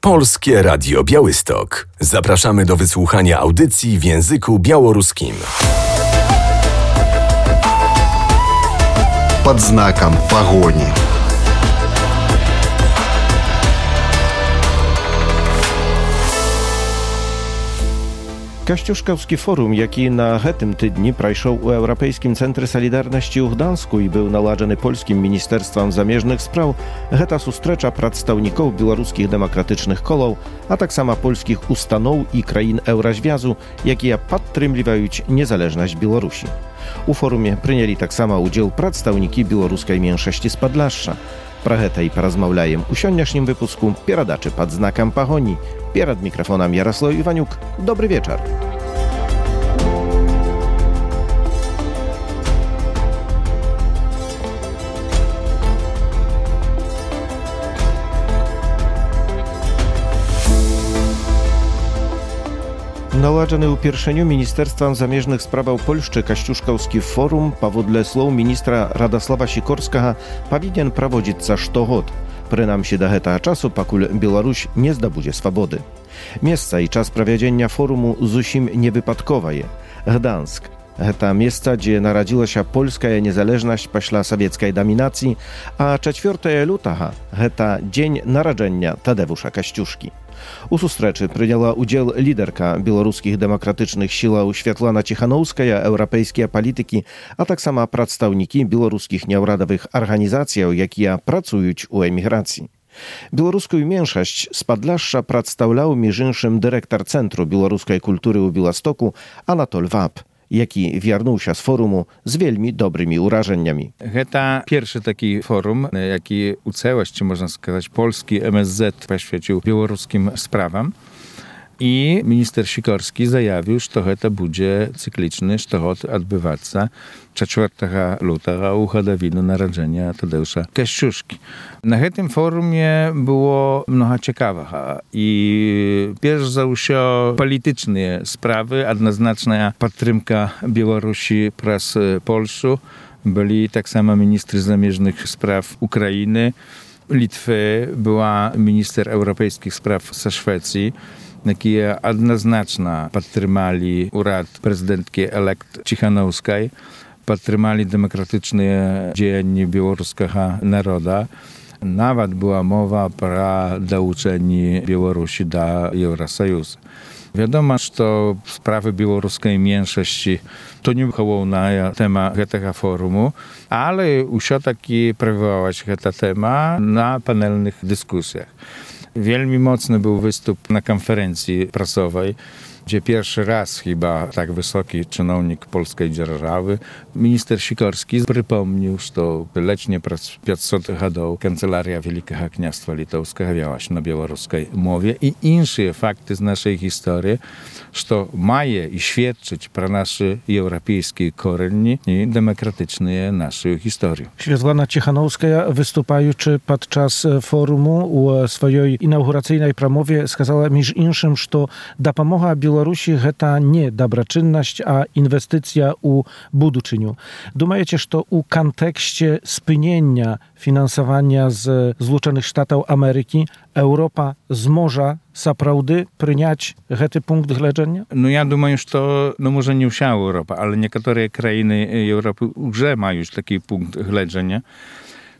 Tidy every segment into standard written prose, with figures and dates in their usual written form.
Polskie Radio Białystok. Zapraszamy do wysłuchania audycji w języku białoruskim. Под знаком погони. Kościuszkowski forum, jaki na tym tydni prajszał u Europejskim Centrum Solidarności u Gdańsku i był nałażony Polskim Ministerstwem Zamieżnych Spraw, heta sustrecza przedstawników białoruskich demokratycznych kolów, a tak samo polskich ustanów i krain Eurazwiazu, jakie podtrzymywają niezależność Białorusi. U forumie przyjęli tak samo udział przedstawniki białoruskiej mniejszości z Podlasza. Про гэта і паразмаўляем у сённяшнім выпуску перадачы пад знакам пагоні. Перад мікрафонам Ярослав Іванюк. Добры вечар. Nałażony upierszeniu Ministerstwem Zamieżnych Spraw Polszczy Kościuszkowski forum, powodle słów ministra Radosława Sikorskiego, powinien prowadzić co rok. Przynajmniej do tego czasu, pakul Białoruś nie zdobędzie swobody. Miejsce i czas prowadzenia forumu zusim niewypadkowe je. Gdańsk. To miejsce, gdzie narodziła się polska niezależność po sowieckiej dominacji, a 4 lutego to dzień narodzenia Tadeusza Kościuszki. U sustreczy przyjęła udział liderka białoruskich demokratycznych sił Światlana Cichanowskaja, europejskiej polityki, a tak samo przedstawniki białoruskich nieuradowych organizacji, jakie pracują u emigracji. Białoruską mniejszość z Podlasza przedstawiał między innymi dyrektor Centrum Białoruskiej Kultury u Białegostoku Anatol Wab, jaki wiernuł się z forumu z wielmi dobrymi urażeniami. To pierwszy taki forum, jaki u całości, można сказать, polski MSZ poświęcił białoruskim sprawom. I minister Sikorski zajawił, że to będzie cykliczny, że to odbywać się 4 lutego u hodowiny narodzenia Tadeusza Kościuszki. Na tym forumie było mnogo ciekawych i pierwsze za wszystko polityczne sprawy, jednoznaczna podtrzymka Białorusi przez Polskę. Byli tak samo ministry zamieżnych spraw Ukrainy, Litwy, była minister europejskich spraw ze Szwecji, jakie jednoznacznie podtrzymali urad prezydentki elekt Cichanowskiej, podtrzymali demokratyczne działania białoruskiego narodu. Nawet była mowa o dołączeniu Białorusi do Eurosojuszu. Wiadomo, że sprawy białoruskiej mniejszości to nie było na temat tego forumu, ale все-таки prowadzała się ta tema na panelnych dyskusjach. Wielmi mocny był występ na konferencji prasowej, gdzie pierwszy raz chyba tak wysoki czynownik polskiej dzierżawy, minister Sikorski, przypomniał, że lecznie przez 500 lat Kancelaria Wielkiego Kniastwa Litewskiego wiała się na białoruskiej mowie i inne fakty z naszej historii, że maje i świadczyć pro nasze europejskie korzenie i demokratyczne naszej historii. Światlana Cichanowska, występujący podczas forumu u swojej inauguracyjnej pramowie, skazała między innymi, że dopomoga Białorusi to nie dobroczynność, a inwestycja u buduczyniu. Думаете, że u kontekście spynienia finansowania z Zjednoczonych Stanów Ameryki Europa zmoże naprawdę przyjąć ten punkt widzenia? No ja думаю, że może nie wся Europa, ale niektóre krainy Europy już mają taki punkt widzenia.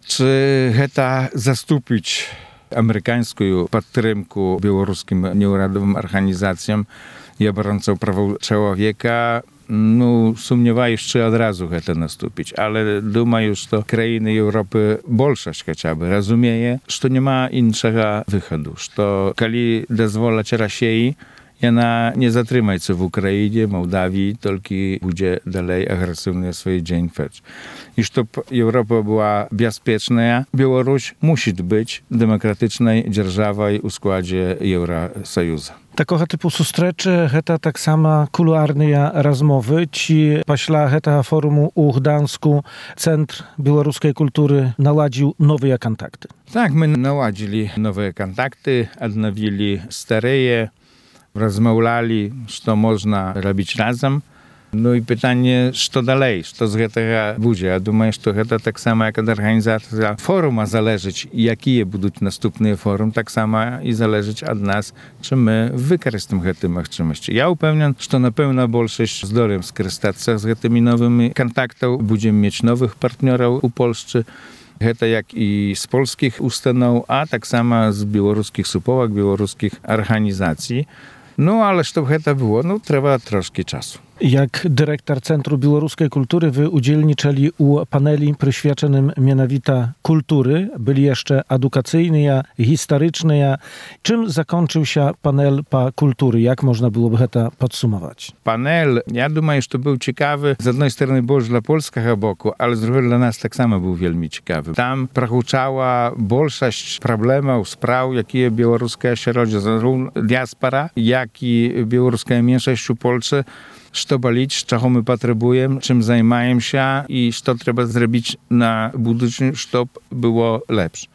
Czy to zastąpić amerykańską podtrzymkę białoruskim nieuradowym organizacjom i obrońcom praw człowieka? No, sumniewaję, czy od razu to nastąpić, ale думаю, że krainy Europy, większość chociażby, rozumie, że nie ma innego wychodu, że kiedy dozwolać Rosji, ona nie zatrzyma się w Ukrainie, Mołdawii, tylko będzie dalej agresywnie swoje dzień fecz. I żeby Europa była bezpieczna, Białoruś musi być demokratyczną dzierżawą w składzie Eurosojuszu. Takiego typu sustreczy, to tak samo kuluarne rozmowy. Ci pośla tego forumu u Gdańsku Centrum Białoruskiej Kultury naładził nowe kontakty. Tak, my naładzili nowe kontakty, odnowili stare, rozmawiali, co można robić razem. No i pytanie, co dalej, co z гэтага будзе. Ja думаю, што гэта таксама, як ад арганізацыя форума залежыць, якія будуць наступныя форум, таксама і залежыць ад нас, чи мы выкарыстаем гэтыя магчымасці. Я ўпэўнен, што, напэўна, большасць здолеем скарыстацца з гэтымі новымі кантактаў, будзем мець новых партнёраў у Польшчы. Гэта як і з польскіх устаноў, а таксама з беларускіх суполак, беларускіх арганізацый. Ну, ale żeby гэта było, no trzeba troszkę czasu. Jak dyrektor Centrum Białoruskiej Kultury wy udzielniczyli u paneli przyświadczonym mianowita kultury. Byli jeszcze edukacyjne, historyczne. Czym zakończył się panel po kultury? Jak można byłoby to podsumować? Panel, ja думаю, że był ciekawy z jednej strony больше dla polskiego boku, ale z drugiej dla nas tak samo był wielmi ciekawy. Tam prohuczała większość problemów, spraw, jakie białoruska środowisko, zarówno diaspora, jak i białoruska mniejszość w Polsce, co bolić, czego my potrzebujemy, czym zajmujemy się i co trzeba zrobić na budżecie, żeby było lepsze.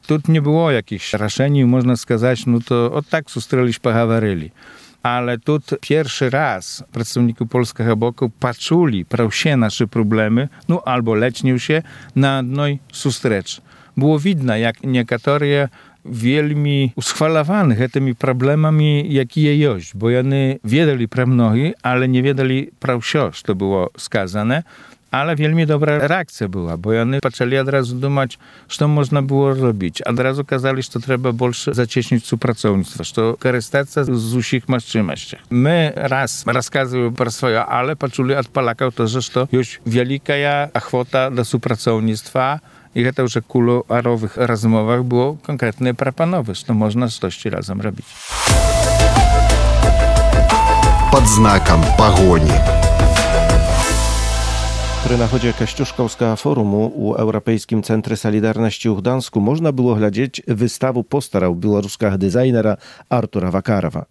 Tu nie było jakichś решений, można сказать, no to od tak sustrzeliśmy, pogawaryli. Ale tu pierwszy raz przedstawnicy polskiego boku patrzyli się nasze problemy, no albo lecznił się na jednej sustrecz. Było widno, jak niektóre wielmi uschwalowani tymi problemami, jakie jest, bo oni wiedzieli pro mnogi, ale nie wiedzieli pro wszystko, co było skazane, ale wielmi dobra reakcja była, bo oni zaczęli od razu думać, co można było robić. Od razu kazali, że trzeba больше zacieśnić współpracownictwo, że korzystać z wszystkich możliwości. My raz rozkazujemy pro swoje, ale poczuli od Polaków to, że to już wielka ochota do współpracownictwa. I to już w kuluarowych rozmowach było konkretne proponowy, że można coś razem robić. Pod znakiem pogoni. Przy nachodzie Kościuszkowskiego Forumu u Europejskim Centrum Solidarności w Gdańsku można było глядеть wystawę postarał białoruskiego designera Artura Wakarowa.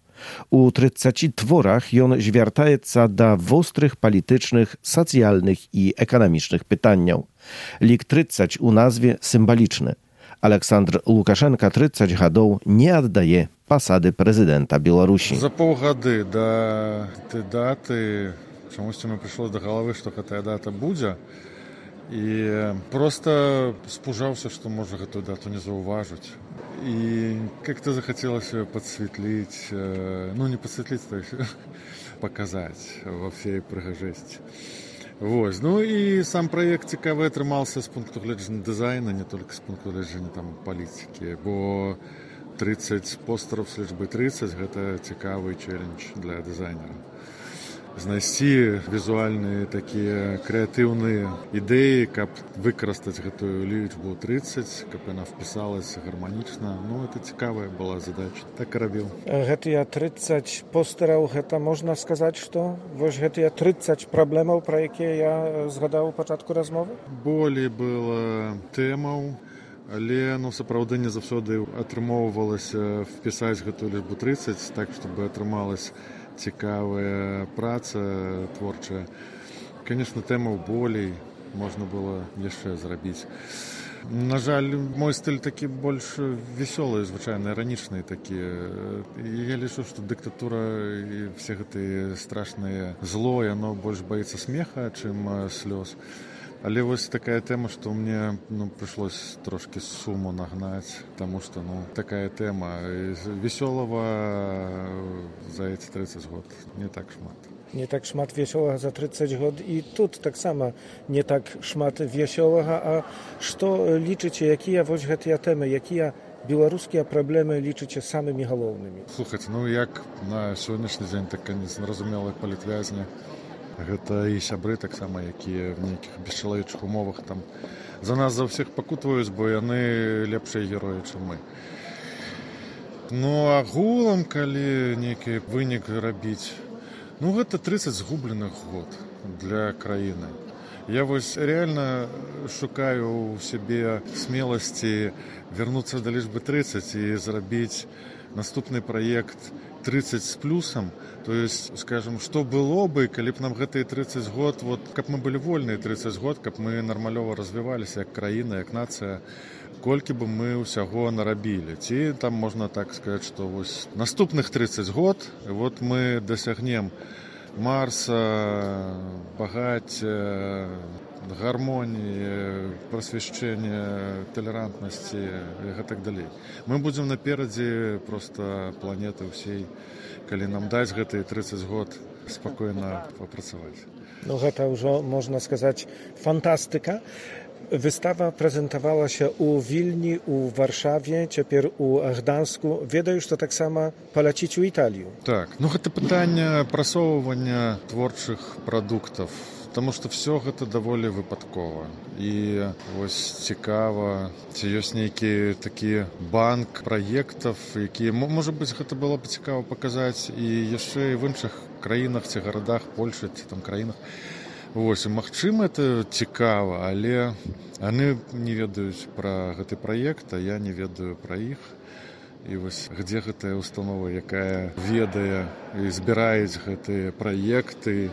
U 30 tworach on zwiertaється do ostrych politycznych, socjalnych i ekonomicznych pytań. Lik 30 u nazwie symboliczny. Aleksandr Łukaszenka 30 lat nie oddaje posady prezydenta Białorusi. За полгода до этой даты чомусь мне пришло до головы, что эта дата будет. И просто спужался, что может эту дату не зауважить. И как-то захотелось ее подсветлить, ну не подсветлить, то есть показать во всей прыгажести. Вот. Ну и сам проект цікавий отримався з пункту гледження дизайну, не тільки з пункту гледження там політики, бо 30 постерів з лічби 30 – це цікавий челендж для дизайнера. Знайти візуальні такі креативні ідеї, як використати цю лічбу 30, щоб вона вписалася гармонічно. Ну, це цікава була задача. Так і робив. Гэтыя 30 постераў, гэта можна сказаць, што вось гэтыя 30 праблемаў, пра якія я згадаў у пачатку размовы? Болей было тэмаў, але ну, сапраўды не заўсёды атрымоўвалася впісаць гэтую лічбу 30, так, чтобы атрымалась цікавая праца творчая. Конечно, тэмаў болей можна было яшчэ зрабіць. На жаль, мой стыль такі больш весёлы, звычайна іранічны такі. Я лічу, што дыктатура і все гэтыя страшныя зло, яно больш баіцца смеха, чым слёз. Але вось такая тэма, што мне прыйшлось трошкі суму нагнаць, таму што такая тэма весёлага за эти 30 год не так шмат. Не так шмат весёлага за 30 год і тут таксама не так шмат весёлага. А што лічыце, якія вось гэтыя тэмы, якія беларускія праблемы лічыце самымі галоўнымі? Слухайце, як на сённяшні дзень так незразумелыя палітвязні, гэта і сябры таксама, якія в нейкіх бесчалавечых умовах там за нас за ўсіх пакутваюць, бо яны лепшыя героі, чым мы. Ну, агулам, калі нейкі вынік рабіць, гэта 30 згубленых год для краіны. Я вось реально шукаю ў сябе смеласці вярнуцца да лічбы 30 і зрабіць наступны праект 30 с плюсом, то есть, скажем, что было бы, калі б нам гэтые 30 год, вот, каб мы былі вольныя 30 год, каб мы нармалёва развіваліся як краіна, як нацыя, колькі бы мы ўсяго нарабілі. Ці там можна так сказаць, што вось наступных 30 год, вот мы дасягнем Марса, багаття, гармоніі, прасвяшчэння, талерантнасці і так далей. Мы будзем наперадзе проста планеты ўсей, калі нам даць гэтыя 30 год спакойна папрацаваць. No гэта ўжо, можна сказаць, фантастыка. Wystawa prezentowała się u Wilni, u Warszawie, цяпер у Гданьску. Ведаю, што таксама паляціць у Італію. Так, гэта пытанне прасоўвання творчых прадуктаў, таму што все гэта даволі выпадкова. І вось цікава, ці ёсць нейкі такі банк праектаў, які, можа быць, гэта было б цікава паказаць і яшчэ і в іншых краінах ці гарадах, Польшы ці там краінах. Вось, магчыма, это цікава, але яны не ведаюць пра гэты праект, а я не ведаю пра іх. І вось, дзе гэтая установа, якая ведае і збіраюць гэтыя праекты,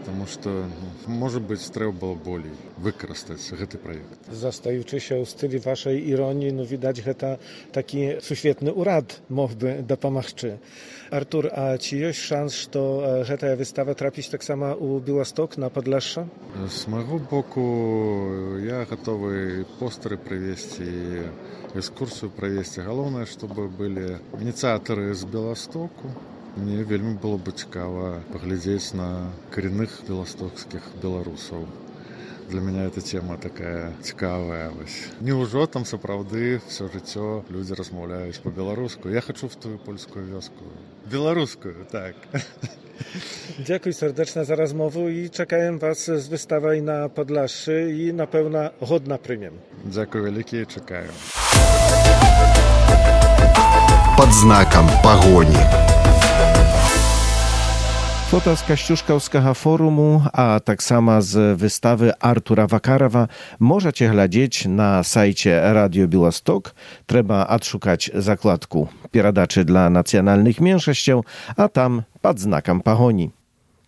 таму што, можа быць, трэба было болей выкарыстаць гэты праект. Zastający się w stylu waszej ironii, no widać, że taki suświetny urad mógłby dopomagać. Artur, a czy jest szans, że ta wystawa trafić tak samo u Białystok na Podlasie? Z mojego boku ja gotowy postery przywieźć i ekskursję przywieźć. Główne, żeby byli inicjaторы z Białostoku. Мне вельмі было бы цікава паглядзець на коренных беластокскіх беларусаў. Для меня эта тема такая цікавая. Неужо там сапраўды все жыццё людзі размаўляюць по-беларуску? Я хочу в тую польскую вёску. Беларускую, так. Dziękuję serdecznie za rozmowę i czekaję was z wystawą na Podlasie i na pewno godna prymiem. Dziękuję wielkie i czekaję. Под знаком погони. Фота з Касцюшкаўскага форуму, а таксама з выставы Артура Вакарова можаце глядзець на сайце Radio Białystok. Трэба адшукаць закладку перадачы для нацыянальных меншасцяў, а там пад знакам пагоні.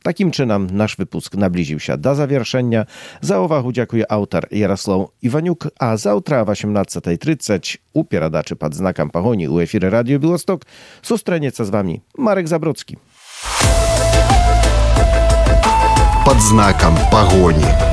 Такім чынам наш выпуск наблізіўся да завяршэння. За ўвагу дзякуе аўтар Ярослаў Іванюк, а заўтра о 18:30 у перадачы пад знакам пагоні ў эфіры Radio Białystok сустрэнецца з вамі Марек Забродскі. Под знаком погони.